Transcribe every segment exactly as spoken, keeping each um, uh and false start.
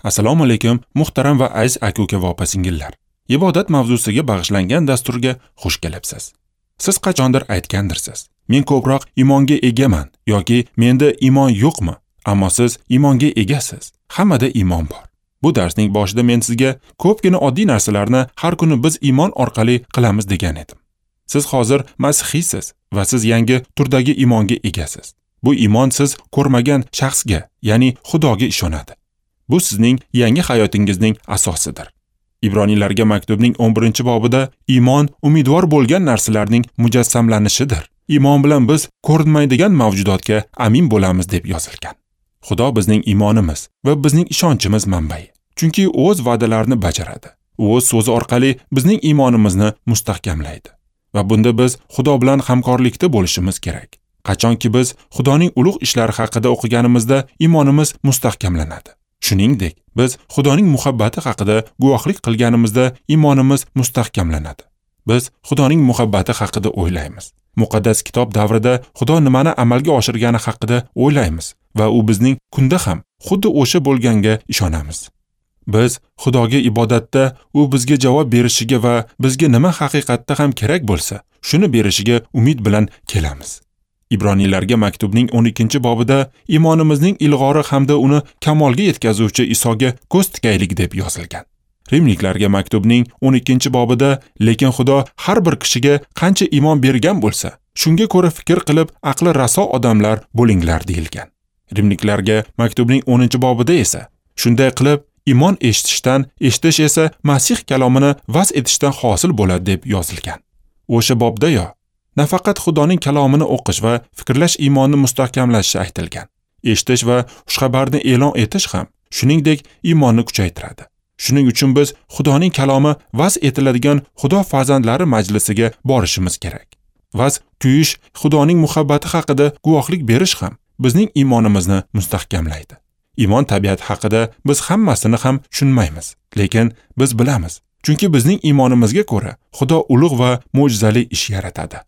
Assalomu alaykum, muhtaram va aziz aka-uka va opa-singillar. Ibodat mavzusiga bag'ishlangan dasturga xush kelibsiz. Siz qachondir aytgandirsiz: "Men ko'proq iymonga egaman" yoki "Menda iymon yo'qmi?" Ammo siz iymonga egasiz. Hammada iymon bor. Bu darsning boshida men sizga ko'pgina oddiy narsalarni har kuni biz iymon orqali qilamiz degan edim. Siz hozir masihiysiz va siz yangi turdagi iymonga egasiz. Bu iymon siz ko'rmagan shaxsga, ya'ni Xudoga ishonadi. Bu sizning yangi hayotingizning asosidir. Ibroniylarga maktubning o'n birinchi bobida iymon umidvor bo'lgan narsalarning mujassamlanishidir. Iymon bilan biz ko'rinmaydigan mavjudotga amin bo'lamiz deb yozilgan. Xudo bizning iymonimiz va bizning ishonchimiz manbai. Chunki o'z va'dalarini bajaradi. U o'z so'zi orqali bizning iymonimizni mustahkamlaydi. Va bunda biz Xudo bilan hamkorlikda bo'lishimiz kerak. Qachonki biz Xudoning ulug' ishlari haqida o'qiganimizda iymonimiz mustahkamlanadi. Shuningdek, biz Xudoning muhabbati haqida guvohlik qilganimizda iymonimiz mustahkamlanadi. Biz Xudoning muhabbati haqida o'ylaymiz. Muqaddas kitob davrida Xudo nimani amalga oshirgani haqida o'ylaymiz va u bizning kunda ham xuddi o'sha bo'lganga ishonamiz. Biz Xudoga ibodatda u bizga javob berishiga va bizga nima haqiqatda ham kerak bo'lsa, shuni berishiga umid bilan kelamiz. Ibroniylarga maktubning o'n ikkinchi bobida iymonimizning ilg'ori hamda uni kamolga yetkazuvchi Isoga ko'z tikaylik deb yozilgan. Rimliklarga maktubning o'n ikkinchi bobida lekin Xudo har bir kishiga qancha iymon bergan bo'lsa, shunga ko'ra fikr qilib aqli raso odamlar bo'linglar deyilgan. Rimliklarga maktubning o'ninchi bobida esa shunday qilib iymon eshitishdan, eshitish esa Masih kalomini vaz etishdan hosil bo'ladi deb yozilgan. O'sha bobda yo nafaqat Xudoning kalomini o'qish va fikrlash iymonni mustahkamlashi aytilgan. Eshitish va xushxabarni e'lon etish ham shuningdek iymonni kuchaytiradi. Shuning uchun biz Xudoning kalomi vaz etiladigan Xudo farzandlari majlisiga borishimiz kerak. Vaz kuyish, Xudoning muhabbati haqida guvohlik berish ham bizning iymonimizni mustahkamlaydi. Iymon tabiati haqida biz hammasini ham tushunmaymiz, lekin biz bilamiz. Chunki bizning iymonimizga ko'ra Xudo ulug' va mo'jizali ish yaratadi.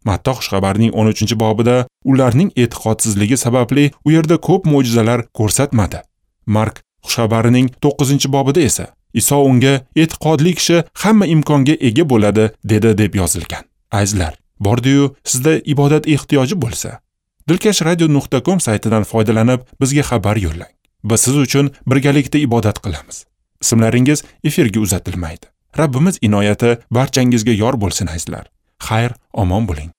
Matta xushxabarining o'n uchinchi bobida ularning e'tiqodsizligi sababli u yerda ko'p mo'jizalar ko'rsatmadi. Mark xushxabarining to'qqizinchi bobida esa Iso unga e'tiqodli kishi hamma imkonga ega bo'ladi dedi deb yozilgan. Azizlar, bordi-yu sizda ibodat ehtiyoji bo'lsa, dilkash radio nuqta com saytidan foydalanib bizga xabar yo'llang. Biz siz uchun birgalikda ibodat qilamiz. Ismlaringiz efirga uzatilmaydi. Rabbimiz inoyati barchangizga yor bo'lsin azizlar. Xayr, omon bo'ling.